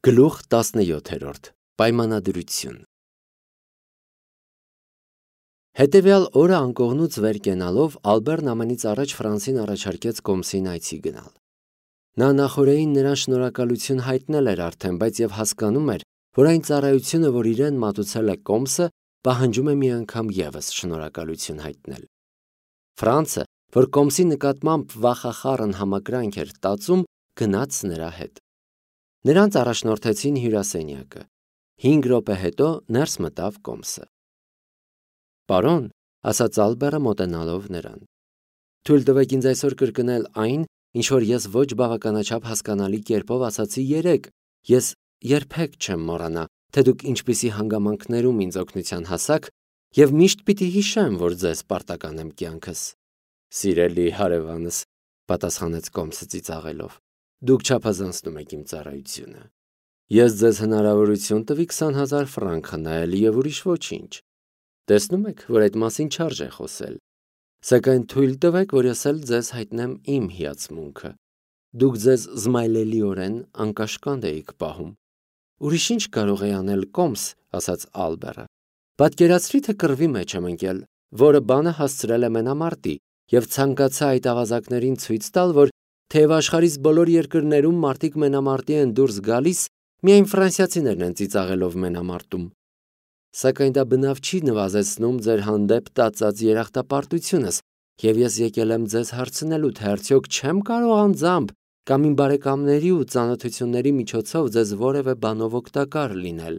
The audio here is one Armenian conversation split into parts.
Գլուխ 17 Պայմանադրություն Հետևյալ օրը անկողնուց վեր կենալով Ալբերն ամենից առաջ Ֆրանսին առաջարկեց կոմսին այցի գնալ։ Նա նախօրեին նրան շնորհակալություն հայտնել էր արդեն, բայց եւ հասկանում էր, որ այն ծառայությունը, որ իրեն մատուցել է կոմսը, պահանջում է մի անգամ եւս շնորհակալություն հայտնել։ Ֆրանսը, որ կոմսի նկատմամբ վախախառն համակրանք էր տածում, գնաց նրա հետ։ Նրանց առաջնորդեցին հյուրասենյակը։ 5 րոպե հետո ներս մտավ կոմսը։ Պարոն, ասաց Ալբերը մոտենալով նրան, թույլ տվեք ինձ այսօր կրկնել այն, ինչ որ ես ոչ բավականաչափ հասկանալի կերպով ասացի երեկ։ Ես երբեք չեմ մոռանա, թե դուք ինչպիսի հանգամանքներում ինձ օգնության հասաք, եւ միշտ պիտի հիշեմ, որ ձեզ պարտական եմ կյանքս։ Սիրելի հարևանս, պատասխանեց կոմսը ծիծաղելով, դուք չափազանցնում եք իմ ծառայությունը։ Ես ձեզ հնարավորություն տվի 20,000 ֆրանկ խնայել եւ ուրիշ ոչինչ։ Տեսնում եք, որ այդ մասին չարժե խոսել։ Սակայն թույլ տվեք, որ ես էլ ձեզ հայտնեմ իմ հիացմունքը։ Դուք ձեզ զմայլելիորեն անկաշկանդ էիք պահում։ Ուրիշ ինչ կարող է անել կոմս, ասաց Ալբերը։ Պատկերացրի, թե կռվի մեջ եմ ընկել, որը բանը հասցրել է մենամարտի, եւ ցանկացա այդ ավազակներին ցույց տալ, որ թեև աշխարհիս բոլոր երկրներում մարդիկ մենամարտի են դուրս գալիս, միայն ֆրանսիացիներն են ծիծաղելով մենամարտում։ Սակայն դա բնավ չի նվազեցնում ձեր հանդեպ տածած երախտապարտությունս, եւ ես եկել եմ ձեզ հարցնելու, թե արդյոք չեմ կարող անձամբ կամ իմ բարեկամների ու ծանոթությունների միջոցով ձեզ որևէ բանով օգտակար լինել։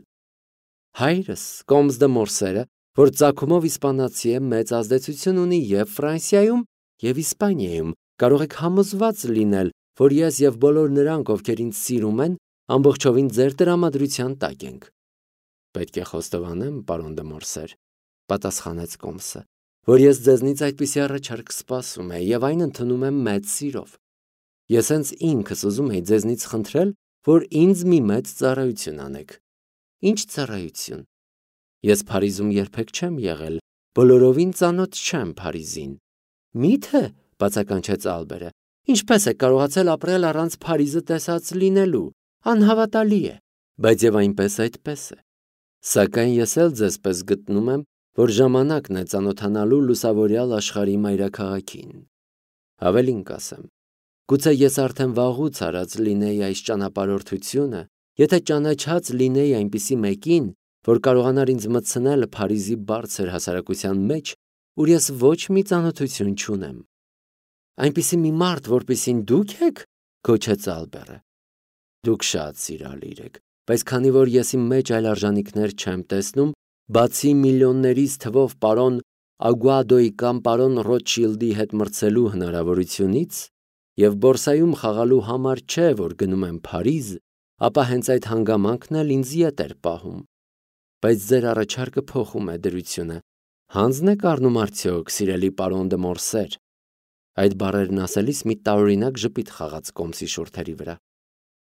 Հայրս, Կոմս դե Մորսերը, որ ծագումով իսպանացի է, մեծ ազդեցություն ունի եւ Ֆրանսիայում, եւ Իսպանիայում, կարող եք համոզված լինել, որ ես եւ բոլոր նրանք, ովքեր ինձ սիրում են, ամբողջովին ձեր տրամադրության տակ ենք։ Պետք է խոստովանեմ, պարոն դե Մորսեր, պատասխանեց Կոմսը, որ ես ձեզնից այդպիսի առաջարկ սպասում եմ եւ այն ընդունում եմ մեծ սիրով։ Ես հենց ինքս ուզում եի ձեզնից խնդրել, որ ինձ մի մեծ ծառայություն անեք։ Ինչ ծառայություն։ Ես Փարիզում երբեք չեմ եղել, բոլորովին ծանոթ չեմ Փարիզին։ Մի՞թե, բացականչեց Ալբերը, ինչպես է կարողացել ապրել առանց Փարիզը տեսած լինելու, անհավատալի է, բայց եւ այնպես այդպես է։ Սակայն ես էլ ձեզպես գտնում եմ, որ ժամանակն է ծանոթանալու լուսավորյալ աշխարհի մայրաքաղաքին։ Ավելին կասեմ, գուցե ես արդեն վաղուց արած լինեի այս ճանապարհորդությունը, եթե ճանաչած լինեի այնպիսի մեկին, որ կարողանար ինձ մտցնել Փարիզի բարձր հասարակության մեջ, ուր ես ոչ մի ծանոթություն չունեմ։ Այնպիսի մի մարդ, որպիսին դուք եք, գոչեց Ալբերը։ Դուք շատ սիրալիր եք, բայց քանի որ ես իմ մեջ այլ արժանինքներ չեմ տեսնում, բացի միլիոններից թվով պարոն Ագուադոյի կամ պարոն Ռոթշիլդի հետ մրցելու հնարավորությունից եւ բորսայում խաղալու համար չէ, որ գնում եմ Փարիզ, ապա հենց այդ հանգամանքն էլ ինձ ետ էր պահում։ Բայց ձեր առաջարկը փոխում է դրությունը։ Հանձն եք առնում արդյոք, սիրելի պարոն դե Մորսեր։ Այդ բառերն ասելիս մի տարօրինակ ժպիտ խաղաց Կոմսի շուրթերի վրա։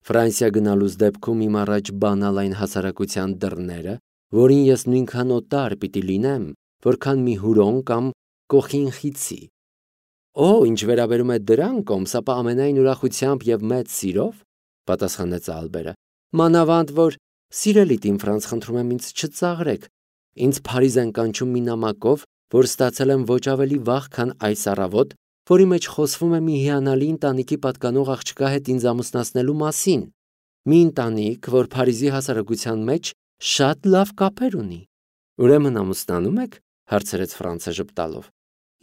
Ֆրանսիա գնալուց դեպքում իմ առաջ բանալ այն հասարակության դռները, որին ես նույնքան օտար պիտի լինեմ, որքան մի հուրոն կամ կոխինխիցի։ Օ, ինչ վերաբերում է դրան, Կոմս, ապա ամենայն ուրախությամբ եւ մեծ սիրով, պատասխանեց Ալբերը։ Մանավանդ որ սիրելի Տիմ Ֆրանց, խնդրում եմ ինձ չծաղրեք։ Ինձ Փարիզ են կանչում մի նամակով, որ ստացել եմ ոչ ավելի վաղ, քան այս առավոտ, որի մեջ խոսվում է մի հիանալի ընտանիքի պատկանող աղջկա հետ ինձ ամուսնացնելու մասին։ Մի ընտանիք, որ Փարիզի հասարակության մեջ շատ լավ կապեր ունի։ Ուրեմն ամուսնանում եք, հարցրեց Ֆրանսը ժպտալով։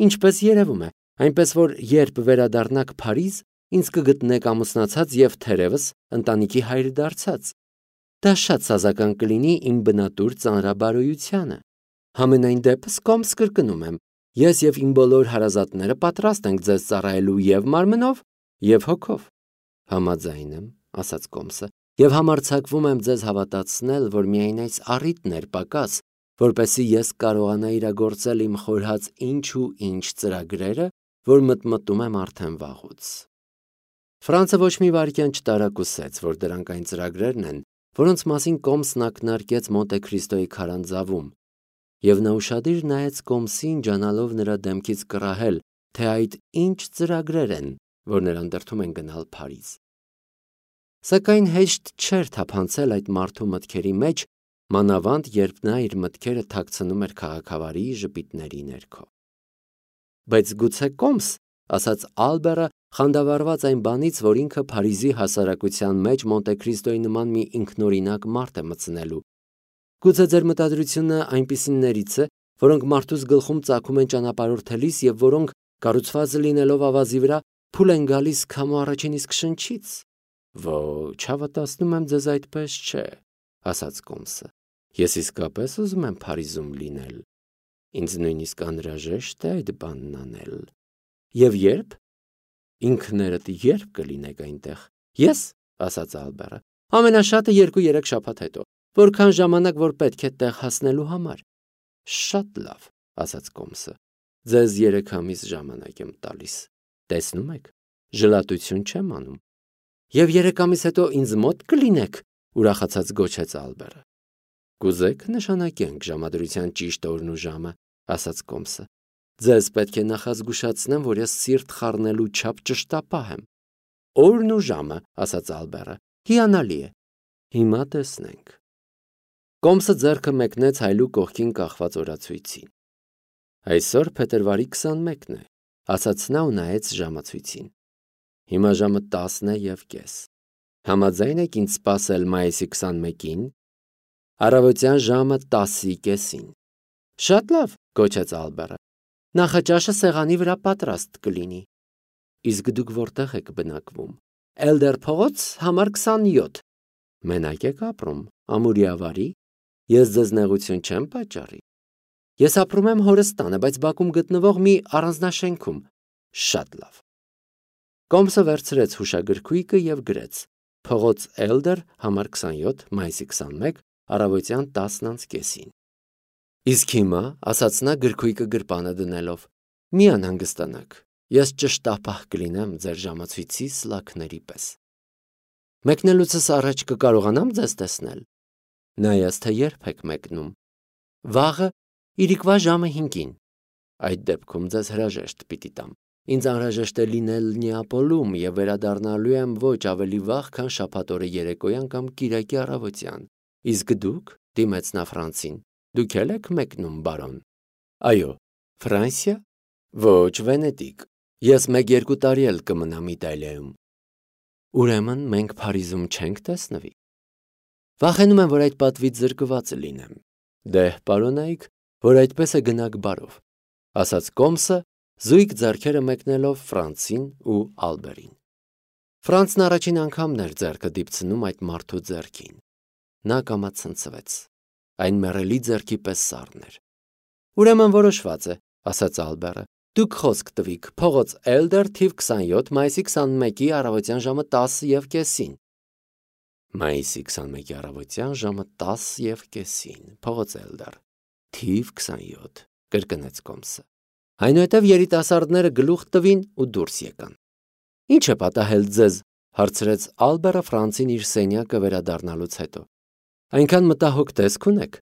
Ինչպես երևում է, այնպես որ երբ վերադառնաք Փարիզ, ինձ կգտնեք ամուսնացած եւ թերևս ընտանիքի հայր դարձած։ Դա շատ սազական կլինի իմ բնատուր ծանրաբարոյությանը։ Համենայն դեպս Կոմս կրկնում եմ, ես եւ իմ բոլոր հարազատները պատրաստ ենք ձեզ ծառայելու եւ մարմնով, եւ հոգով։ Համաձայն եմ, ասաց Կոմսը, եւ համարձակվում եմ ձեզ հավատացնել, որ միայն այս առիթն էր պակաս, որպեսզի ես կարողանայի իրագործել իմ խորհած ինչ ու ինչ ծրագրերը, որ մտմտում եմ արդեն վաղուց։ Ֆրանսը ոչ մի վայրկյան չտարակուսեց, որ դրանք այն ծրագրերն են, որոնց մասին Կոմսն ակնարկեց Մոնտե Քրիստոյի քարանձավում, եւ նա ուշադիր նայեց Կոմսին, ջանալով նրա դեմքից կռահել, թե այդ ինչ ծրագրեր են, որ նրան դրդում են գնալ Փարիզ։ Սակայն հեշտ չէր թափանցել այդ մարդու մտքերի մեջ, մանավանդ երբ նա իր մտքերը թաքցնում էր քաղաքավարի ժպիտների ներքո։ Բայց գուցե կոմս, ասաց Ալբերը, խանդավառված այն բանից, որ ինքը Փարիզի հասարակության մեջ Մոնտեքրիստոյի նման մի ինքնօրինակ մարդ է մտցնելու։ Գուցե ձեր մտադրությունը այնպիսիներից է, որոնք մարդուս գլխում ծագում են ճանապարհորդելիս եւ որոնք կառուցված լինելով ավազի վրա փուլ են գալիս քամու առաջին իսկ շնչից։ Ոչ, հավատացնում եմ ձեզ այդպես չէ, ասաց կոմսը։ Ես իսկապես ուզում եմ Փարիզում լինել։ Ինձ նույնիսկ անհրաժեշտ է այդ բանն անել։ Եվ երբ։ Ինքներդ երբ կլինեք այնտեղ։ Ես, ասաց Ալբերը, ամենաշատը 2-3 շաբաթ հետո, որքան ժամանակ որ պետք է տեղ հասնելու համար։ Շատ լավ, ասաց կոմսը։ Ձեզ 3 ամիս ժամանակ եմ տալիս։ Տեսնում եք, ժլատություն չեմ անում։ Եվ 3 ամիս հետո ինձ մոտ կլինեք, ուրախացած գոչեց Ալբերը։ Կուզեք նշանակենք ժամադրության ճիշտ օրն ու ժամը, ասաց կոմսը։ Ձեզ պետք է նախազգուշացնեմ, որ ես սիրտ խառնելու չափ ճշտապահ եմ։ Օրն ու ժամը, ասաց Ալբերը, հիանալի է։ Հիմա տեսնենք։ Կոմսը ձեռքը մեկնեց հայլու կողքին կախված օրացույցին։ Այսօր փետրվարի 21-ն է, ասաց նա ու նայեց ժամացույցին։ Հիմա ժամը 10:30։ Համաձայն եք ինձ սպասել մայիսի 21-ին, առավոտյան ժամը 10:30։ Շատ լավ, գոչեց Ալբերը։ Նախաճաշը սեղանի վրա պատրաստ կլինի։ Իսկ դուք որտեղ եք բնակվում։ Էլդեր փողոց, համար 27։ Մենակ եք ապրում, ամուրիավարի։ Ես ձեզ նեղություն չեմ պատճառի։ Ես ապրում եմ հորս տանը, բայց Բաքում գտնվող մի առանձնաշենքում։ Շատ լավ։ Կոմսը վերցրեց հուշագրքույկը եւ գրեց. Փողոց Էլդեր, համար 27, մայիսի 21, առավոտյան 10:30։ Իսկ հիմա, ասաց նա գրքույկը գրպանը դնելով, մի անհանգստանաք, ես ճշտապահ կլինեմ ձեր ժամացույցի սլաքների պես։ Մեկնելուցս առաջ կկարողանամ ձեզ տեսնել։ Նայած թե երբ եք մեկնում։ Վաղը, իրիկվա ժամը 5-ին։ Այդ դեպքում ձեզ հրաժեշտ պիտի տամ։ Ինձ անհրաժեշտ է լինել Նեապոլում եւ վերադառնալու եմ ոչ ավելի վաղ, քան շաբաթօրը երեկոյան կամ կիրակի առավոտյան։ Իսկ դուք, դիմեց նա Ֆրանսին, դուք էլ եք մեկնում, բարոն։ Այո, Ֆրանսիա։ Ոչ, Վենետիկ։ Ես 1-2 տարի էլ կմնամ Իտալիայում։ Ուրեմն մենք Փարիզում չենք տեսնվի։ Վախենում եմ, որ այդ պատվից զրկված լինեմ։ Դե, պարոնայք, որ այդպես է գնաք բարով, ասաց կոմսը, զույգ ձեռքերը մեկնելով Ֆրանսին ու Ալբերին։ Ֆրանսն առաջին անգամն էր ձեռքը դիպցնում այդ մարդու ձեռքին։ Նա կամացնցվեց։ Այն մեռելի ձեռքի պես սառն էր։ Ուրեմն որոշված է, ասաց Ալբերը։ Դուք խոսք տվիք, փողոց Էլդեր, թիվ 27, մայիսի 21-ի առավոտյան ժամը 10:30։ Մայիսի 21-ի առավոտյան ժամը 10:30, փողոց Էլդեր, թիվ 27, կրկնեց կոմսը։ Այնուհետև երիտասարդները գլուխ տվին ու դուրս եկան։ Ինչ է պատահել ձեզ, հարցրեց Ալբերը Ֆրանսին իր սենյակը վերադառնալուց հետո։ Այնքան մտահոգ տեսք ունեք։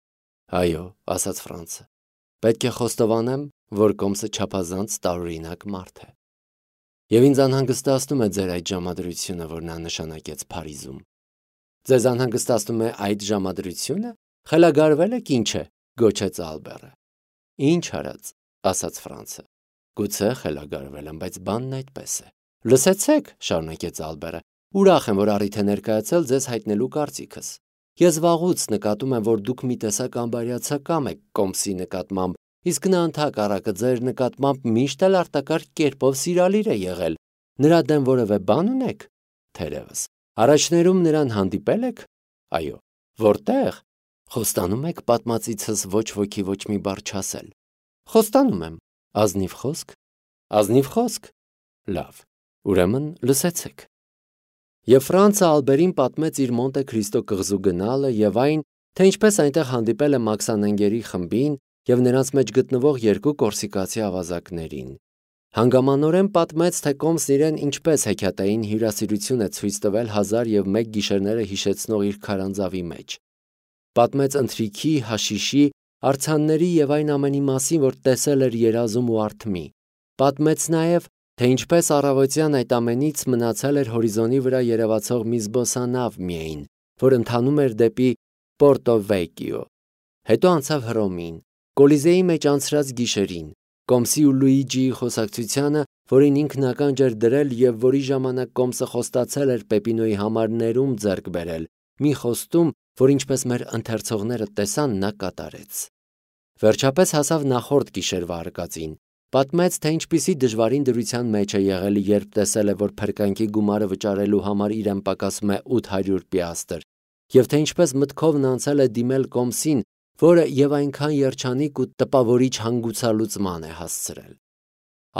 Այո, ասաց Ֆրանսը։ Պետք է խոստովանեմ, որ կոմսը չափազանց տարօրինակ մարդ է։ Եվ ինձ անհանգստացնում է ձեր այդ ժամադրությունը, որ նա նշանակեց Փարիզում։ Ձեզ անհանգստացնում է այդ ժամադրությունը։ Խելագարվել եք ինչ է, գոչեց Ալբերը։ Ինչ արած, ասաց Ֆրանսը։ Գուցե խելագարվել եմ, բայց բանն այդպես է։ Լսեցեք, շարունակեց Ալբերը։ Ուրախ եմ, որ առիթ է ներկայացել ձեզ հայտնելու կարծիքս։ Ես վաղուց նկատում եմ, որ դուք մի տեսակ անբարյացակամ եք կոմսի նկատմամբ, իսկ նա ընդհակառակը ձեր նկատմամբ միշտ էլ արտակարգ կերպով սիրալիր է եղել։ Նրա դեմ որևէ բան ունեք։ Թերևս։ Առաջներում նրան հանդիպել եք։ Այո։ Որտեղ։ Խոստանում եք պատմածիցս ոչ ոքի ոչ մի բառ չասել։ Խոստանում եմ։ Ազնիվ խոսք։ Ազնիվ խոսք։ Լավ։ Ուրեմն լսեցեք։ Եվ Ֆրանսը Ալբերին պատմեց իր Մոնտե Քրիստո կղզու գնալը եւ այն, թե ինչպես այնտեղ հանդիպել է մաքսանենգերի խմբին եւ նրանց մեջ գտնվող 2 կորսիկացի ավազակներին։ Հանգամանորեն պատմեց, թե կոմսն իրեն ինչպես հեքիաթային հյուրասիրություն է ցույց տվել 1001 գիշերները հիշեցնող իր քարանձավի մեջ։ Պատմեց ընթրիքի, հաշիշի, արձանների եւ այն ամենի մասին, որ տեսել էր երազում ու արթմի։ Պատմեց նաեւ, թե ինչպես առավոտյան այդ ամենից մնացել էր հորիզոնի վրա երևացող մի զբոսանավ միայն, որ ընթանում էր դեպի Պորտո Վեկիո։ Հետո անցավ Հռոմին, Կոլիզեի մեջ անցրած գիշերին, Կոմսի ու Լուիջիի խոսակցությանը, որին ինքն ականջ էր դրել և որի ժամանակ Կոմսը խոստացել էր Պեպինոյի համար ներում ձեռք բերել, մի խոստում, որ ինչպես մեր ընթերցողները տեսան, նա կատարեց։ Վերջապես հասավ նախորդ գիշերվա արկածին, պատմեց, թե ինչպիսի դժվարին դրության մեջ է եղել, երբ տեսել է, որ փրկանքի գումարը վճարելու համար իրեն պակասում է 800 պիաստր, և թե ինչպես մտքովն անցել է դիմել Կոմսին, որը և այնքան երջանիկ ու տպավորիչ հանգուցալուծման է հասցրել։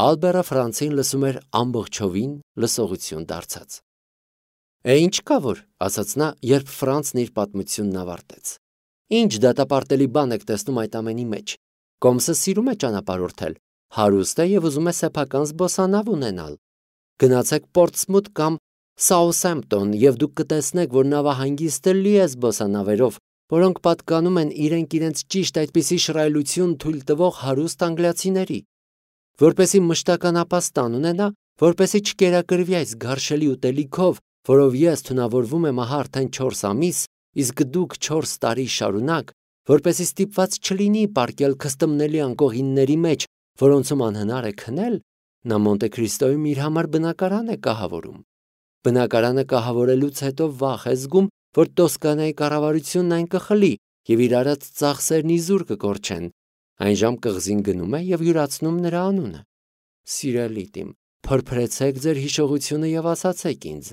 Ալբերը Ֆրանցին լսում էր ամբողջովին լսողություն դարձած։ Ինչ կա որ, ասաց նա, երբ Ֆրանցն իր պատմությունն ավարտեց։ Ինչ դատապարտելի բան եք տեսնում այդ ամենի մեջ։ Կոմսը սիրում է ճանապարհորդել, հարուստ է և ուզում է սեփական զբոսանավ ունենալ։ Գնացեք Պորտսմութ կամ Սաութհեմփտոն և դուք կտեսնեք, որ նավահանգիստը լի է զբոսանավերով, որոնք պատկանում են իրենց ճիշտ այդպիսի շռայլություն թույլ տվող հարուստ անգլիացիների։ Որպեսզի մշտական ապաստան ունենա, որպեսզի չկերակրվի այս գարշելի ուտելիքով, որով ես թունավորվում եմ ահա արդեն 4 ամիս, իսկ դուք 4 տարի շարունակ, որպեսզի ստիպված չլինի պառկել քստմնելի անկողինների մեջ, որոնցում անհնար է քնել, նա Մոնտե Քրիստոյում իր համար բնակարան է կահավորում։ Բնակարանը կահավորելուց հետո վախ է զգում, որ Տոսկանայի կառավարությունն այն կխլի և իր արած ծախսերն իզուր կկորչեն։ Այն ժամ կղզին գնում է և յուրացնում նրա անունը։ Սիրելի տիմ, փրփրեցեք ձեր հիշողությունը և ասացեք ինձ,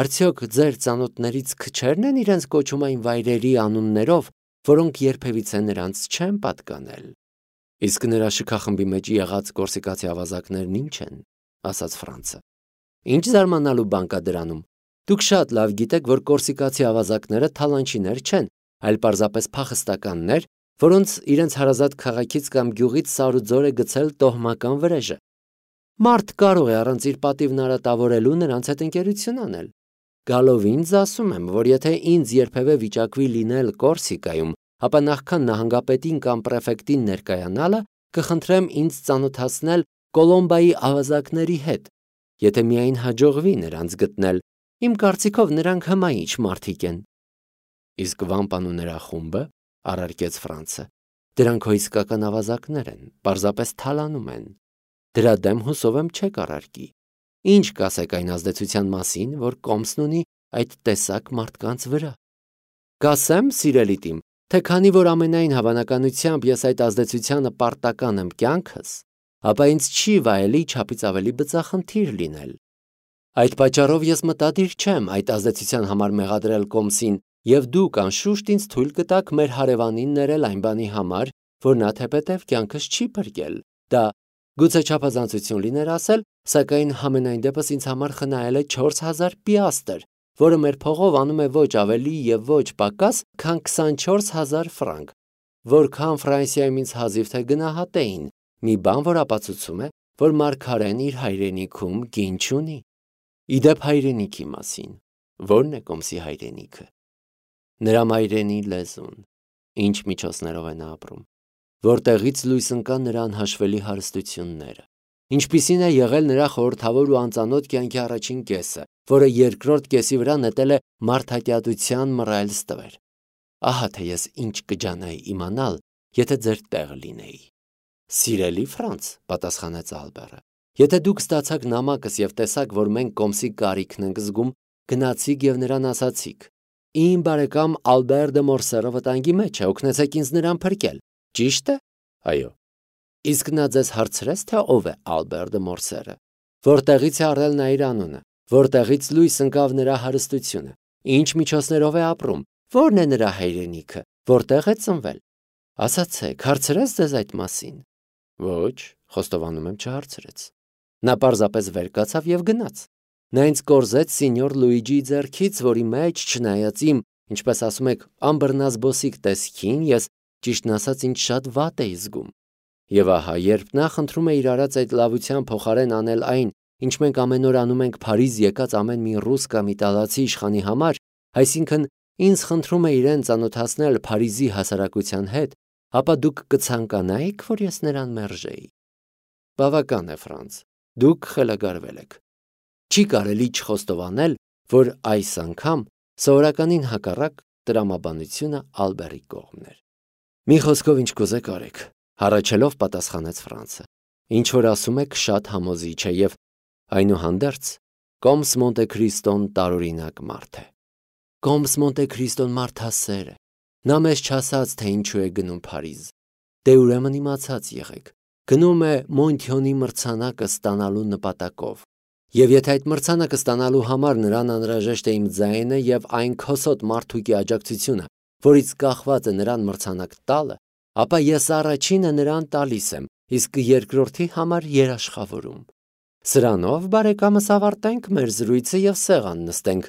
արդյոք ձեր ծանոթներից քչերն են իրենց կոչում այն վայրերի անուններով, որոնք երբևիցե նրանց չեն պատկանել։ Իսկ նրա շքախմբի մեջ եղած կորսիկացի ավազակներն ինչ են, ասաց Ֆրանցը։ Ինչ զարմանալու բան կա դրանում։ Դուք շատ լավ գիտեք, որ կորսիկացի ավազակները թալանչիներ չեն, այլ պարզապես փախստականներ, որոնց իրենց հարազատ քաղաքից կամ գյուղից սարուձոր է գցել տոհմական վրեժը։ Մարդ կարող է առանց իր պատիվն արատավորելու նրանց հետ ընկերություն անել։ Գալով ինձ ասում եմ, որ եթե ինձ երբևէ վիճակվի լինել Կորսիկայում, ապա նախքան նահանգապետին կամ պրեֆեկտին ներկայանալը, կխնդրեմ ինձ ծանոթացնել Կոլոմբայի ավազակների հետ, եթե միայն հաջողվի նրանց գտնել, իմ կարծիքով նրանք հմայիչ մարդիկ են։ Իսկ Վամպան ու նրա խումբը, առարկեց Ֆրանցը, դրանք հո իսկական ավազակներ են, պարզապես թալանում են։ Դրա դեմ հուսով եմ չեք առարկի։ Ինչ կասեք այն ազդեցության մասին, որ Կոմսն ունի այդ տեսակ մարդկանց վրա։ Կասեմ, սիրելի տիմ, թե քանի որ ամենայն հավանականությամբ ես այդ ազդեցությանը պարտական եմ կյանքս, ապա ինձ չի վայելի չափից ավելի բծախնդիր լինել։ Այդ պատճառով ես մտադիր չեմ այդ ազդեցության համար մեղադրել Կոմսին, և դուք անշուշտ ինձ թույլ կտաք մեր հարևանին ներել այն բանի համար, որ նա թեպետև կյանքս չի փրկել։ Դա գուցե չափազանցություն լիներ ասել, սակայն համենայն դեպս ինձ համար խնայել է 4000 պիաստր, որը մեր փողով անում է ոչ ավելի և ոչ պակաս, քան 24000 ֆրանկ, որքան Ֆրանսիայում ինձ հազիվ թե գնահատեին, մի բան, որ ապացուցում է, որ մարգարեն իր հայրենիքում կին չունի։ Իդեպ հայրենիքի մասին, ո՞րն է Կոմսի հայրենիքը։ Նրա մայրենի լեզուն, ինչ միջոցներով է նա ապրում, որտեղից լույս ընկան նրա անհաշվելի հարստությունները, ինչպիսին է եղել նրա խորհրդավոր ու անծանոթ կյանքի առաջին կեսը, որը երկրորդ կեսի վրա նետել է մարդատյատության մռայլ ստվեր։ Ահա թե ես ինչ կջանայի իմանալ, եթե ձեր տեղը լինեի։ Սիրելի Ֆրանց, պատասխանեց Ալբերը, եթե դուք ստացաք նամակս և տեսաք, որ մենք Կոմսի կարիքն ենք զգում, գնացիք և նրան ասացիք. Իմ բարեկամ Ալբեր դե Մորսերը վտանգի մեջ է, օգնեցեք ինձ նրան փրկել։ Ճիշտ է։ Այո։ Իսկ նա ձեզ հարցրեց, թե ով է Ալբեր դե Մորսերը, որտեղից է առել նա իր անունը, որտեղից լույս ընկավ նրա հարստությունը, ինչ միջոցներով է ապրում, ո՞րն է նրա հայրենիքը, որտեղ է ծնվել։ Ասացեք, հարցրեց ձեզ այդ մասին։ Ոչ, խոստովանում եմ, չհարցրեց։ Նա պարզապես վեր կացավ և գնաց։ Նա ինձ կորզեց սինյոր Լուիջիի ձեռքից, որի մեջ, չնայած իմ, ինչպես ասում եք, ամբռնազբոսիկ տեսքին, ես ճիշտն ասած ինձ շատ վատ էի զգում։ Եվ ահա, երբ նա խնդրում է իր արած այդ լավության փոխարեն անել այն, ինչ մենք ամեն օր անում ենք Փարիզ եկած ամեն մի ռուս կամ իտալացի իշխանի համար, այսինքն ինձ խնդրում է իրեն ծանոթացնել Փարիզի հասարակության հետ, ապա դուք կցանկանայիք, որ ես նրան մերժեի։ Բավական է, Ֆրանց, Դուք խելագարվել եք։ Չի կարելի չխոստովանել, որ այս անգամ սովորականին հակառակ տրամաբանությունը Ալբերի կողմն էր։ Մի խոսքով ինչ կուզեք արեք, հառաչելով պատասխանեց Ֆրանցը։ Ինչ որ ասում եք շատ համոզիչ է եւ այնուհանդերձ Կոմս Մոնտե Քրիստոն տարօրինակ մարդ է։ Կոմս Մոնտե Քրիստոն մարդասեր է։ Նա մեզ չասաց, թե ինչու է գնում Փարիզ։ Դե ուրեմն իմացած եղեք։ Գնում է Մոնթյոնի մրցանակը ստանալու նպատակով։ Եվ եթե այդ մրցանակը ստանալու համար նրան անհրաժեշտ է իմ ձայնը եւ այն քոսոտ մարդուկի աջակցությունը, որից կախված է նրան մրցանակ տալը, ապա ես առաջինը նրան տալիս եմ, իսկ երկրորդի համար երաշխավորում։ Սրանով բարեկամս ավարտենք մեր զրույցը եւ սեղան նստենք,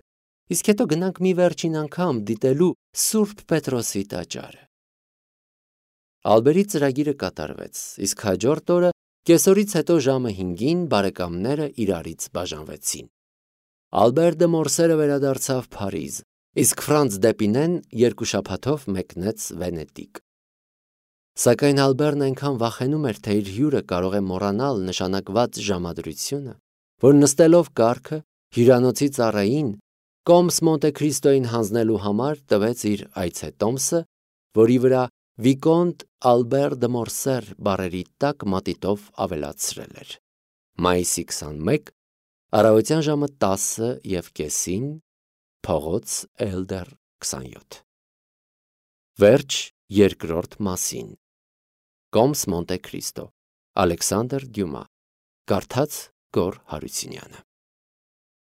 իսկ հետո գնանք մի վերջին անգամ դիտելու Սուրբ Պետրոսի տաճարը։ Ալբերի ծրագիրը կատարվեց, իսկ հաջորդ օրը կեսօրից հետո ժամը 5-ին բարեկամները իրարից բաժանվեցին։ Ալբեր դը Մորսերը վերադարձավ Փարիզ, իսկ Ֆրանց Դեպինեն 2 շաբաթով մեկնեց Վենետիկ։ Սակայն Ալբերն այնքան վախենում էր, թե իր հյուրը կարող է մոռանալ նշանակված ժամադրությունը, որ նստելով կառքը հյուրանոցի ծառային Կոմս Մոնտե Քրիստոյին հանձնելու համար տվեց իր այցետոմսը, որի վրա Վիկոնտ Ալբեր դը Մորսեր բառերի տակ մատիտով ավելացրել էր։ Մայիսի 21, առավոտյան ժամը 10:30, փողոց Էլդեր 27։ Վերջ երկրորդ մասին։ Կոմս Մոնտե Քրիստո, Ալեքսանդր Դյումա, կարդաց Գոռ Հարությունյանը։